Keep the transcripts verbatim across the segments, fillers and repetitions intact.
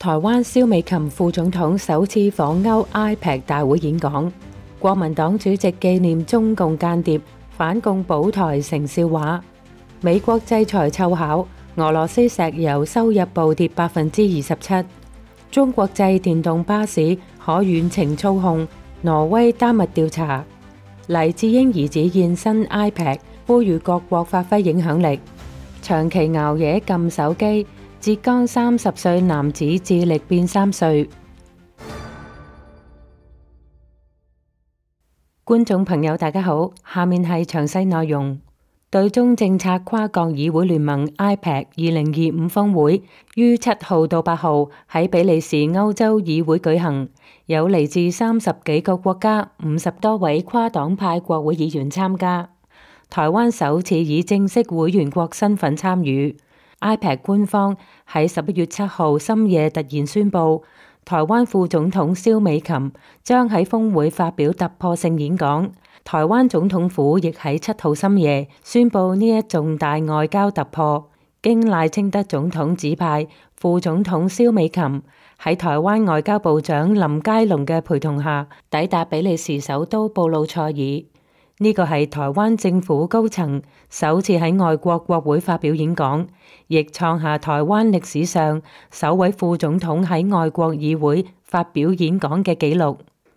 台灣蕭美琴副總統首次訪歐 I P E C 大會演講，國民黨主席紀念中共間諜，反共保台成笑話。美國制裁湊巧，俄羅斯石油收入暴跌百分之二十七。中國製電動巴士可遠程操控，挪威丹麥調查。黎智英兒子現身 I P E C， 呼籲各國發揮影響力。長期熬夜撳手機，浙江三十歲男子智力變三歲。觀眾朋友大家好，下面係詳細內容。對中政策跨國議會聯盟 I P E C 二零二五峰會於七號到八號喺比利時歐洲議會舉行，有嚟自三十幾個國家、五十多位跨黨派國會議員參加。台灣首次以正式會員國身份參與。I P E C 官方喺十一月七號深夜突然宣布，台灣副總統蕭美琴將喺峰會發表突破性演講。台灣總統府亦喺七號深夜宣布呢一重大外交突破，經賴清德總統指派，副總統蕭美琴喺台灣外交部長林佳龍嘅陪同下抵達比利時首都布魯塞爾。呢個係台灣政府高層首次喺外國國會發表演講，亦創下台灣歷史上首位副總統喺外國議會發表演講嘅紀錄。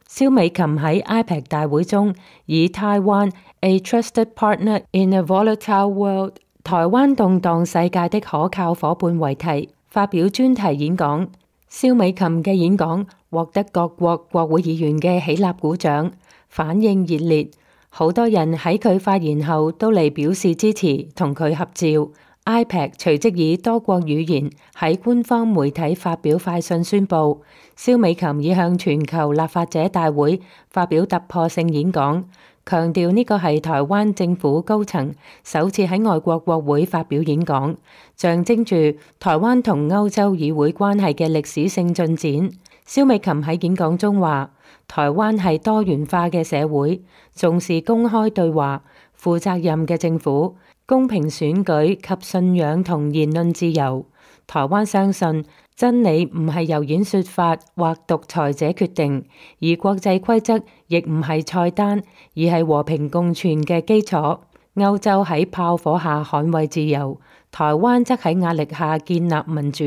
蕭美琴喺 I P E C 大會中以台灣 A Trusted Partner in a Volatile World 台灣動盪世界的可靠夥伴為題發表專題演講。蕭美琴嘅演講獲得各國國會議員嘅起立鼓掌，反應熱烈，好多人喺佢發言後都嚟表示支持，同佢合照。I P E C 隨即以多國語言喺官方媒體發表快訊宣布，蕭美琴已向全球立法者大會發表突破性演講，強調呢個係台灣政府高層首次喺外國國會發表演講，象徵住台灣同歐洲議會關係嘅歷史性進展。蕭美琴喺演講中話，台灣係多元化嘅社會，重視公開對話、負責任嘅政府、公平選舉及信仰同言論自由。台灣相信真理唔係由演說法或獨裁者決定，而國際規則亦唔係菜單，而係和平共存嘅基礎。歐洲喺炮火下捍衛自由，台灣則喺壓力下建立民主。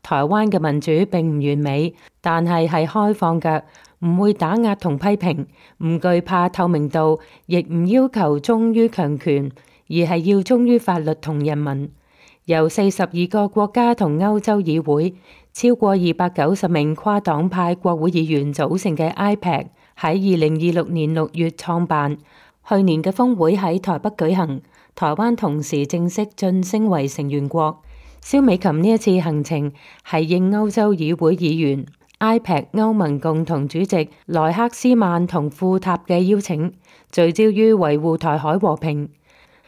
台灣嘅民主並唔完美，但係係開放嘅，唔會打壓同批評，唔懼怕透明度，亦唔要求忠於強權，而係要忠於法律同人民。由四十二個國家同歐洲議會超過二百九十名跨黨派國會議員組成嘅 I P E C 喺二零二六年六月創辦，去年嘅峰會喺台北舉行，台灣同時正式晉升為成員國。蕭美琴呢一次行程係應歐洲議會議員、I P E C 歐盟共同主席萊克斯曼同庫塔嘅邀請，聚焦於維護台海和平。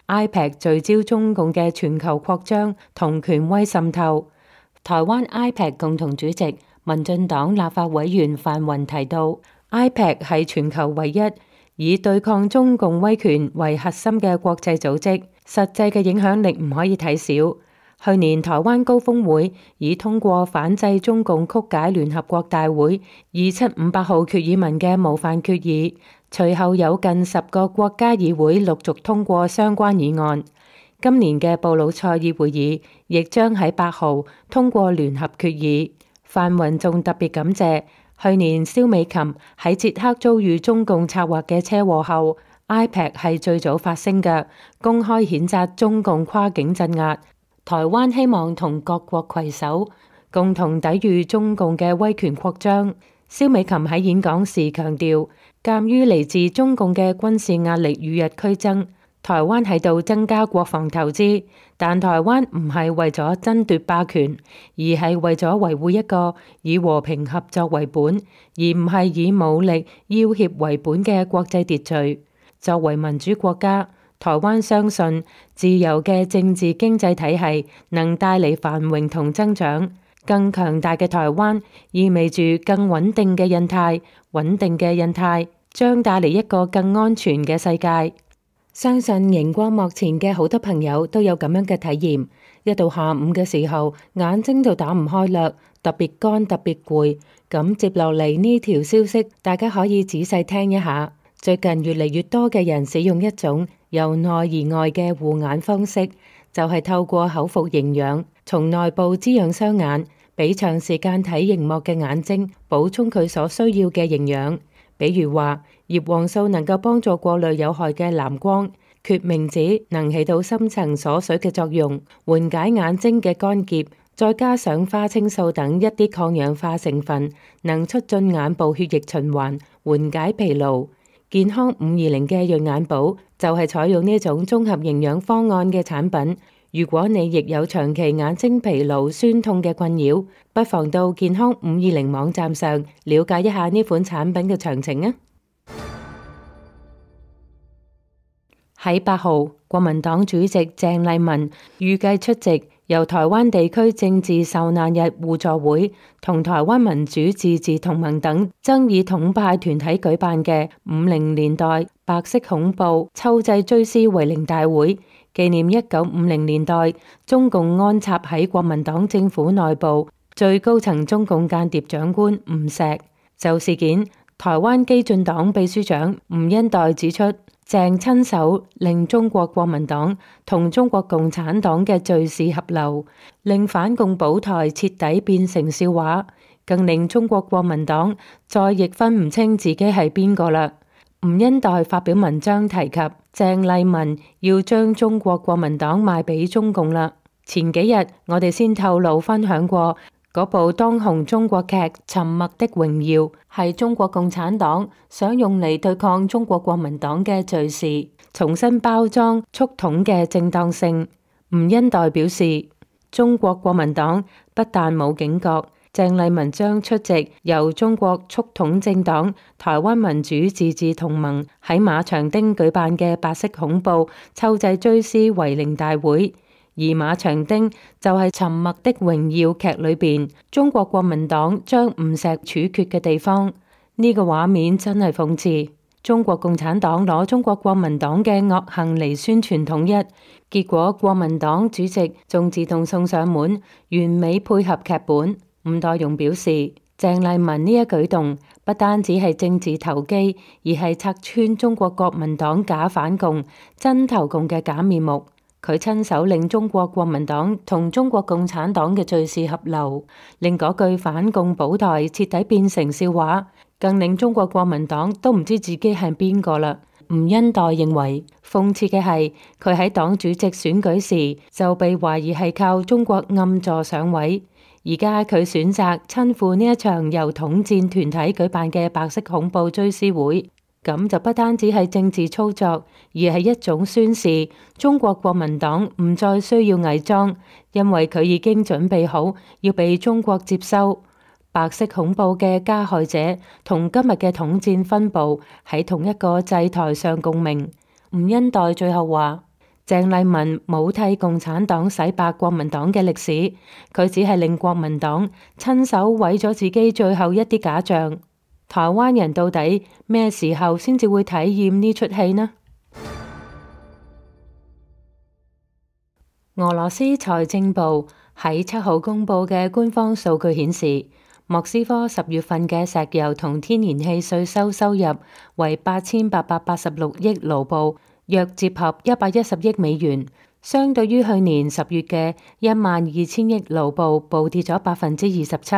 I P E C 聚焦中共嘅全球擴張同權威滲透。台灣 I P E C 共同主席民進黨立法委員范雲提到， I P E C 係全球唯一以對抗中共威權為核心嘅國際組織，實際嘅影響力唔可以睇小。去年台灣高峰會已通過反制中共曲解聯合國大會二七五八號決議文嘅模範決議，隨後有近十個國家議會陸續通過相關議案。今年嘅布魯塞爾會議亦將喺八號通過聯合決議。范雲仲特別感謝去年蕭美琴喺捷克遭遇中共策劃嘅車禍後， I P E C 係最早發聲嘅，公開譴責中共跨境鎮壓。台灣希望同各國攜手，共同抵禦中共嘅威權擴張。蕭美琴喺演講時強調，鑑於嚟自中共嘅軍事壓力與日俱增，台灣喺度增加國防投資，但台灣唔係為咗爭奪霸權，而係為咗維護一個以和平合作為本，而唔係以武力要挾為本嘅國際秩序。作為民主國家，台灣相信自由嘅政治經濟體系能帶嚟繁榮同增長，更強大嘅台灣意味住更穩定嘅印太，穩定嘅印太將帶嚟一個更安全嘅世界。相信熒光幕前嘅好多朋友都有咁樣嘅體驗，一到下午嘅時候，眼睛就打唔開啦，特別乾，特別攰。咁接落嚟呢條消息，大家可以仔細聽一下。最近越嚟越多嘅人使用一種由內而外嘅護眼方式，就係透過口服營養，從內部滋養雙眼，俾長時間睇熒幕嘅眼睛補充佢所需要嘅營養。比如話，葉黃素能夠幫助過濾有害嘅藍光，決明子能起到深層鎖水嘅作用，緩解眼睛嘅乾澀，再加上花青素等一啲抗氧化成分，能促進眼部血液循環，緩解疲勞。健康五二零嘅潤眼寶就係採用呢種綜合營養方案嘅產品。如果你亦有長期眼睛疲勞、酸痛嘅困擾，不妨到健康五二零網站上了解一下呢款產品嘅詳情啊！喺八號，國民黨主席鄭麗文預計出席由台灣地區政治受難日互助會同台灣民主自治同盟等爭議統派團體舉辦嘅五零年代白色恐怖秋祭追思遺靈大會，紀念一九五零年代中共安插喺國民黨政府內部最高層中共間諜長官吳錫。就事件，台灣基進黨秘書長吳恩岱指出，鄭親手令中國國民黨同中國共產黨嘅敘事合流，令反共保台徹底變成笑話，更令中國國民黨再亦分唔清自己係邊個啦。吳恩岱發表文章提及鄭麗文要將中國國民黨賣俾中共啦。前幾日我哋先透露分享過嗰部當紅中國劇《沉默的榮耀》，係中國共產黨想用嚟對抗中國國民黨嘅敘事，重新包裝促統嘅正當性。吳恩岱表示，中國國民黨不但冇警覺，鄭麗文將出席由中國促統政黨台灣民主自治同盟喺馬場町舉辦嘅白色恐怖秋祭追思遺靈大會，而馬場町就係《沉默的榮耀》劇裏邊中國國民黨將吳錫處決嘅地方。呢個畫面真係諷刺，中國共產黨攞中國國民黨嘅惡行嚟宣傳統一，結果國民黨主席仲自動送上門，完美配合劇本。吳岱融表示，鄭麗文呢一舉動不單止係政治投機，而係拆穿中國國民黨假反共、真投共嘅假面目。佢親手令中國國民黨同中國共產黨嘅敘事合流，令嗰句反共保台徹底變成笑話，更令中國國民黨都唔知自己係邊個啦。吳恩岱認為，諷刺嘅係佢喺黨主席選舉時就被懷疑係靠中國暗助上位。而家佢選擇親赴呢一場由統戰團體舉辦嘅白色恐怖追思會，咁就不單止係政治操作，而係一種宣示中國國民黨唔再需要偽裝，因為佢已經準備好要被中國接收。白色恐怖嘅加害者同今日嘅統戰分部喺同一個祭台上共鳴。吳恩岱最後話，鄭麗文冇替共產黨洗白國民黨嘅歷史，佢只係令國民黨親手毀咗自己最後一啲假象。台灣人到底咩時候先至會體驗呢出戲呢？俄羅斯財政部喺七號公布嘅官方數據顯示，莫斯科十月份嘅石油同天然氣稅收收入為八千八百八十六億盧布，約折合一百一十億美元，相對於去年十月嘅一萬二千億盧布，暴跌咗百分之二十七。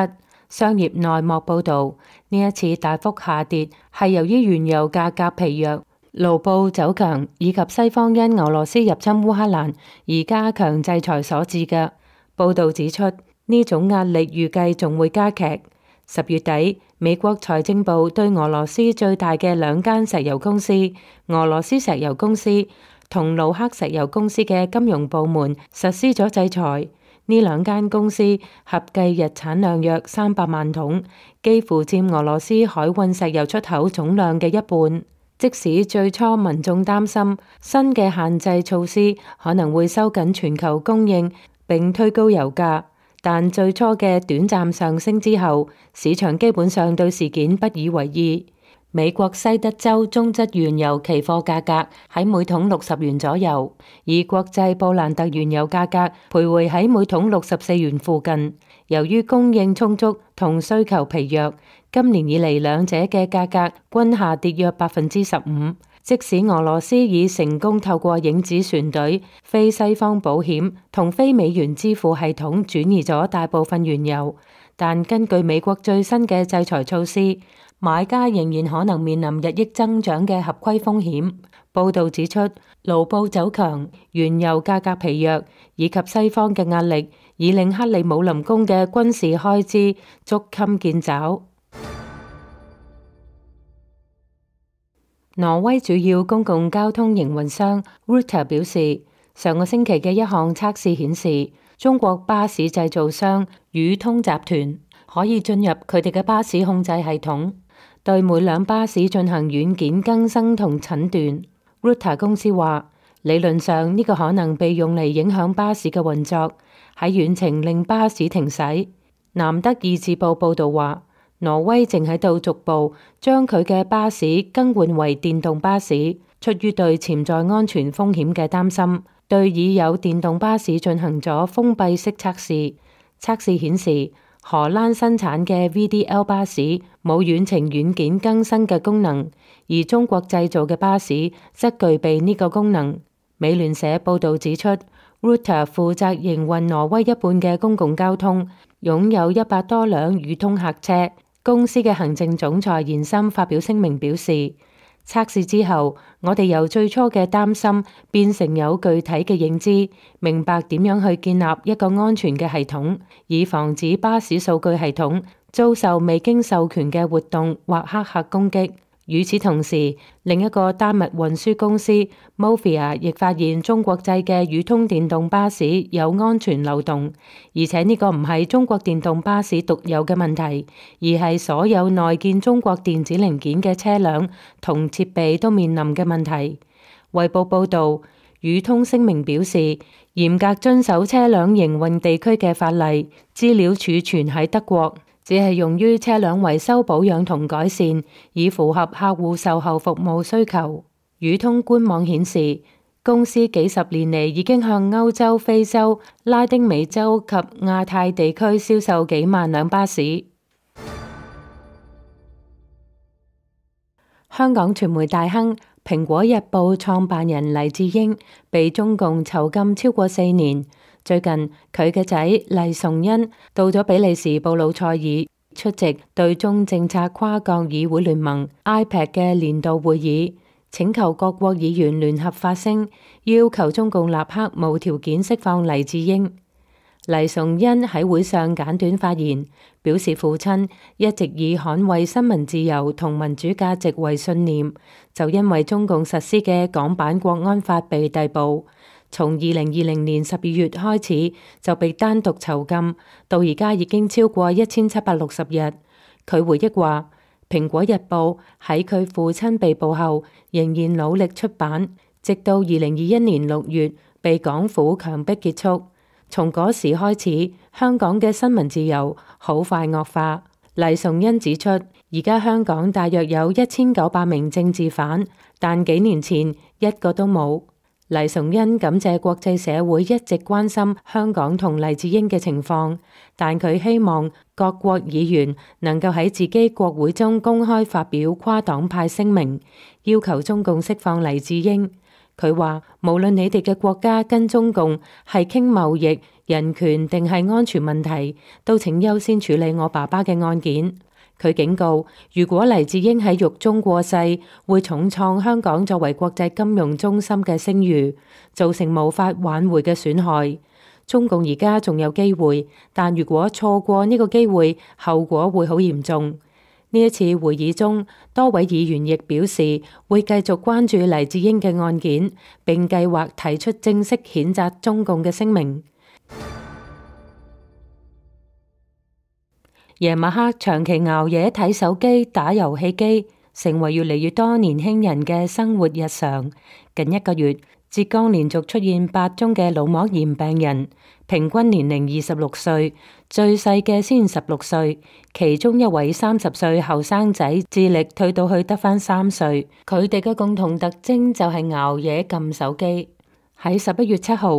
商業內幕報導，呢一次大幅下跌係由於原油價格疲弱、盧布走強以及西方因俄羅斯入侵烏克蘭而加強制裁所致嘅。報導指出，呢種壓力預計仲會加劇。十月底，美國財政部對俄羅斯最大嘅兩間石油公司俄羅斯石油公司同盧克石油公司嘅金融部門實施咗制裁。呢兩間公司合計日產量約三百萬桶，幾乎佔俄羅斯海運石油出口總量嘅一半。即使最初民眾擔心新嘅限制措施可能會收緊全球供應並推高油價，但最初嘅短暫上升之後，市場基本上對事件不以為意。美國西德州中質原油期貨價格喺每桶六十元左右，而國際布蘭特原油價格徘徊喺每桶六十四元附近。由於供應充足同需求疲弱，今年以嚟兩者嘅價格均下跌約百分之十五。即使俄羅斯已成功透過影子船隊、非西方保險同非美元支付系統轉移咗大部分原油，但根據美國最新嘅制裁措施，買家仍然可能面臨日益增長嘅合規風險。報導指出，盧布走強、原油價格疲弱以及西方嘅壓力，已令克里姆林宮嘅軍事開支捉襟見肘。挪威主要公共交通營運商 Ruter 表示，上個星期嘅一項測試顯示，中國巴士製造商宇通集團可以進入佢哋嘅巴士控制系統，對每輛巴士進行軟件更新同診斷。Ruter 公司話，理論上呢個可能被用嚟影響巴士嘅運作，喺遠程令巴士停駛。南德意志報報道話，挪威正喺度逐步將佢嘅巴士更換為電動巴士，出於對潛在安全風險嘅擔心，對已有電動巴士進行咗封閉式測試。測試顯示，荷蘭生產嘅 V D L 巴士冇遠程軟件更新嘅功能，而中國製造嘅巴士則具備呢個功能。美聯社報導指出，Ruter 負責營運挪威一半嘅公共交通，擁有一百多輛宇通客車。公司嘅行政總裁延森發表聲明表示，測試之後，我哋由最初嘅擔心變成有具體嘅認知，明白點樣去建立一個安全嘅系統，以防止巴士數據系統遭受未經授權嘅活動或黑客攻擊。與此同時，另一個丹麥運輸公司 Movia 亦發現中國製嘅宇通電動巴士有安全漏洞，而且呢個唔係中國電動巴士獨有嘅問題，而係所有內建中國電子零件嘅車輛同設備都面臨嘅問題。衛報報導，宇通聲明表示，嚴格遵守車輛營運地區嘅法例，資料儲存喺德國，只係用於車輛維修保養同改善，以符合客戶售後服務需求。宇通官網顯示，公司幾十年嚟已經向歐洲、非洲、拉丁美洲及亞太地區銷售幾萬輛巴士。香港傳媒大亨蘋果日報創辦人黎智英被中共囚禁超過四年。最近佢嘅仔黎崇恩到咗比利時布魯塞爾出席對中政策跨國議會聯盟 I P E C 嘅年度會議，請求各國議員聯合發聲，要求中共立刻無條件釋放黎智英。黎崇恩喺會上簡短發言，表示父親一直以捍衛新聞自由同民主價值為信念，就因為中共實施嘅港版國安法被逮捕。從二零二零年十二月開始就被單獨囚禁，到而家已經超過一千七百六十日。佢回憶話，《蘋果日報》喺佢父親被捕後仍然努力出版，直到二零二一年六月被港府強迫結束。從嗰時開始，香港嘅新聞自由好快惡化。黎崇恩指出，而家香港大約有一千九百名政治犯，但幾年前一個都冇。黎崇恩感謝國際社會一直關心香港同黎智英嘅情況，但佢希望各國議員能夠喺自己國會中公開發表跨黨派聲明，要求中共釋放黎智英。佢話，無論你哋嘅國家跟中共係傾貿易、人權定係安全問題，都請優先處理我爸爸嘅案件。佢警告，如果黎智英喺獄中過世，會重創香港作為國際金融中心嘅聲譽，造成無法挽回嘅損害。中共而家仲有機會，但如果錯過呢個機會，後果會好嚴重。呢一次會議中，多位議員亦表示會繼續關注黎智英嘅案件，並計劃提出正式譴責中共嘅聲明。夜晚黑長期熬夜睇手機、打遊戲機，成為越嚟越多年輕人嘅生活日常。近一個月，浙江連續出現八宗嘅腦膜炎病人，平均年齡二十六歲，最細嘅先十六歲。其中一位三十歲後生仔智力退到去得返三歲。佢哋嘅共同特徵就係熬夜撳手機。喺十一月七號，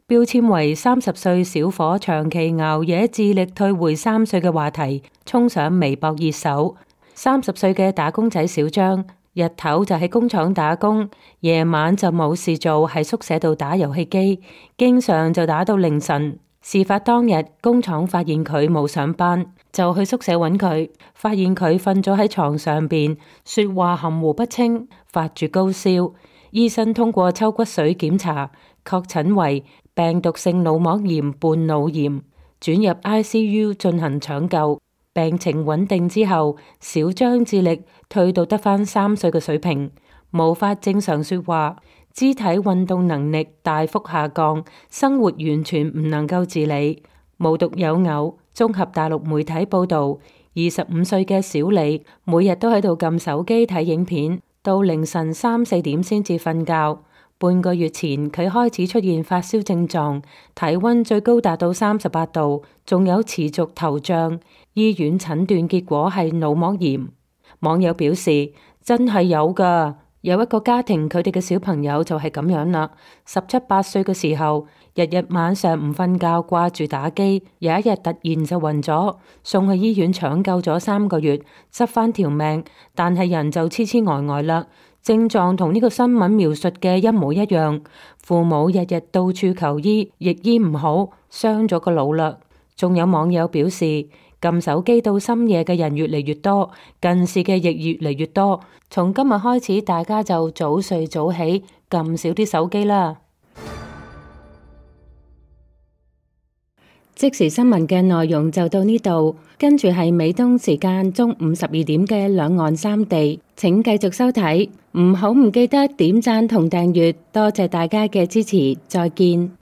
標籤為三十歲小伙長期熬夜智力退回三歲嘅話題衝上微博熱搜。三十歲嘅打工仔小張，日頭就喺工廠打工，夜晚就冇事做，喺宿舍度打遊戲機，經常就打到凌晨。事發當日，工廠發現佢冇上班，就去宿舍揾佢，發現佢瞓咗喺床上邊，說話含糊不清，發住高燒。醫生通過抽骨髓檢查，確診為病毒性腦膜炎伴腦炎，轉入 I C U 進行搶救。病情穩定之後，小張智力退到得返三歲嘅水平，無法正常說話，肢體運動能力大幅下降，生活完全唔能夠自理。無獨有偶，綜合大陸媒體報道，二十五歲嘅小李每日都喺度撳手機睇影片，到凌晨三四點先至瞓覺。半個月前，佢開始出現發燒症狀，體溫最高達到三十八度，仲有持續頭脹。醫院診斷結果係腦膜炎。網友表示，真係有㗎，有一個家庭佢哋嘅小朋友就係咁樣啦。十七八歲嘅時候，日日晚上唔瞓覺，掛住打機，有一日突然就暈咗，送去醫院搶救咗三個月，執返條命，但係人就痴痴呆呆啦。症狀同呢個新聞描述嘅一模一樣，父母日日到處求醫，亦醫唔好，傷咗個腦啦。仲有網友表示，撳手機到深夜嘅人越嚟越多，近視嘅亦越嚟越多。從今日開始，大家就早睡早起，撳少啲手機啦。即時新聞嘅內容就到呢度，跟住係美東時間中午十二點嘅兩岸三地，請繼續收睇，唔好唔記得點讚同訂閱，多謝大家嘅支持，再見。